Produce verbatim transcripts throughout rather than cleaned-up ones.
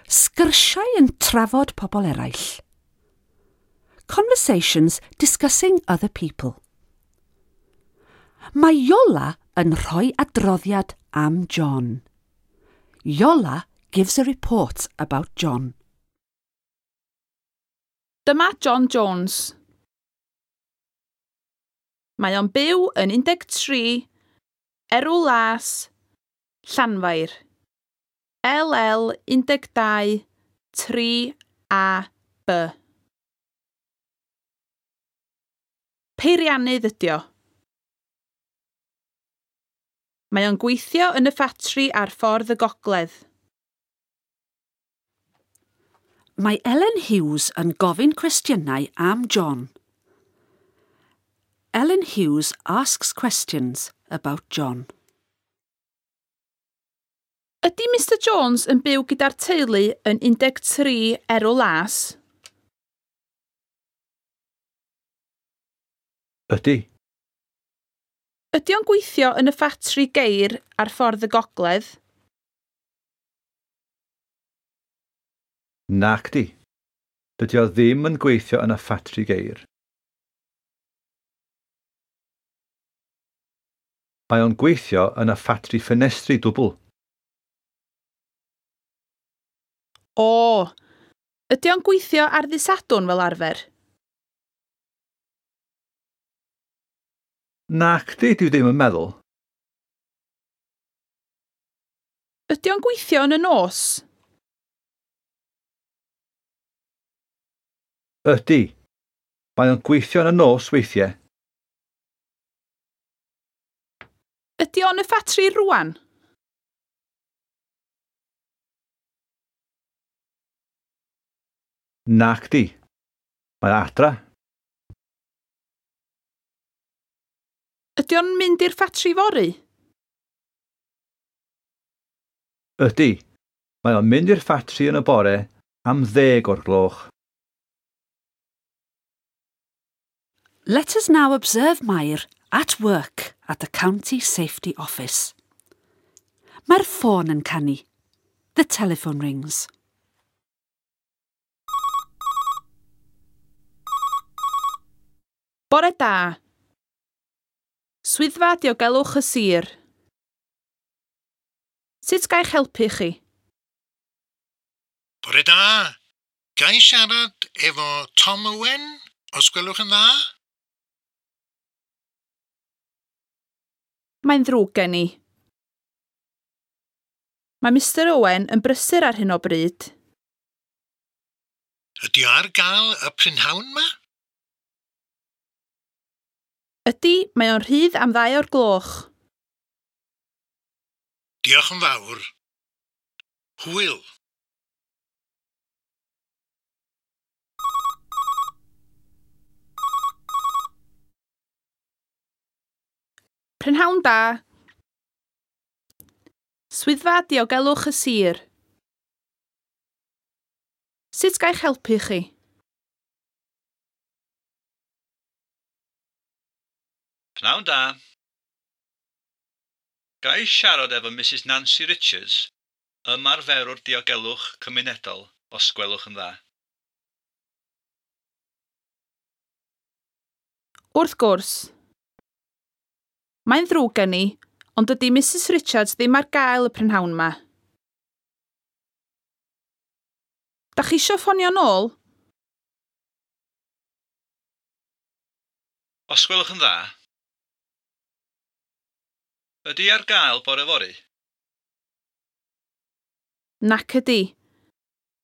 Sgyrsiau yn trafod pobl eraill. Conversations discussing other people. Mae Iola yn rhoi adroddiad am John. Iola gives a report about John. Dyma John Jones. Mae o'n byw yn un deg tri, Erw Las, Llanfair. L L un deg dau, tri A B. Peiriannydd ydi o. Mae o'n gweithio yn y ffatri ar ffordd y gogledd. Mae Ellen Hughes yn gofyn cwestiynau am John. Ellen Hughes asks questions about John. Ydy Mister Jones yn byw gyda'r teulu yn un deg tri Erw Las? Ydy. Ydy o'n gweithio yn y ffatri geir ar ffordd y gogledd? Nacdi. Dydy o ddim yn gweithio yn y ffatri geir. Mae o'n gweithio yn y ffatri ffenestri dwbl. O, ydy o'n gweithio ar ddydd Sadwrn fel arfer? Nacdi, dwi ddim yn meddwl. Ydy o'n gweithio yn y nos? Ydy. Mae o'n gweithio yn y nos weithiau. Ydy o'n y ffatri rŵan? Nacdi. Mae adra. Ydy o'n mynd i'r ffatri fory? Ydy. Mae o'n mynd i'r ffatri yn y bore am ddeg o'r gloch. Let us now observe Mair at work at the County Safety Office. Mae'r ffôn yn canu. The telephone rings. Bore da. Swyddfa Diogelwch y Sir. Sut ga i'ch helpu chi? Bore da. Ga i siarad efo Tom Owen, os gwelwch yn dda? Mae'n ddrwg gen i. Mae Mister Owen yn brysur ar hyn o bryd. Ydy o ar gael y prynhawn ma? Ydy, mae o'n rhydd am ddau o'r gloch. Diolch yn fawr. Hwyl. Prynhawn da. Swyddfa Diogelwch y Sir. Sut ga i'ch helpu chi? Pnawn da. Ga i siarad efo Missus Nancy Richards, ymarferwr diogelwch cymunedol, os gwelwch yn dda. Wrth gwrs. Mae'n ddrwg gen i, ond dydy Missus Richards ddim ar gael y prynhawn ma. Dach chi isio ffonio nôl? Os gwelwch yn dda. Ydy ar gael bore fory? Nac ydy.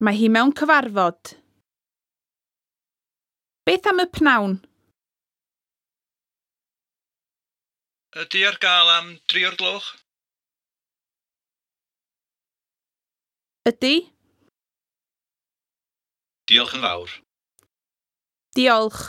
Mae hi mewn cyfarfod. Beth am y pnawn? Ydy ar gael am dri o'r gloch? Ydy. Diolch yn fawr. Diolch.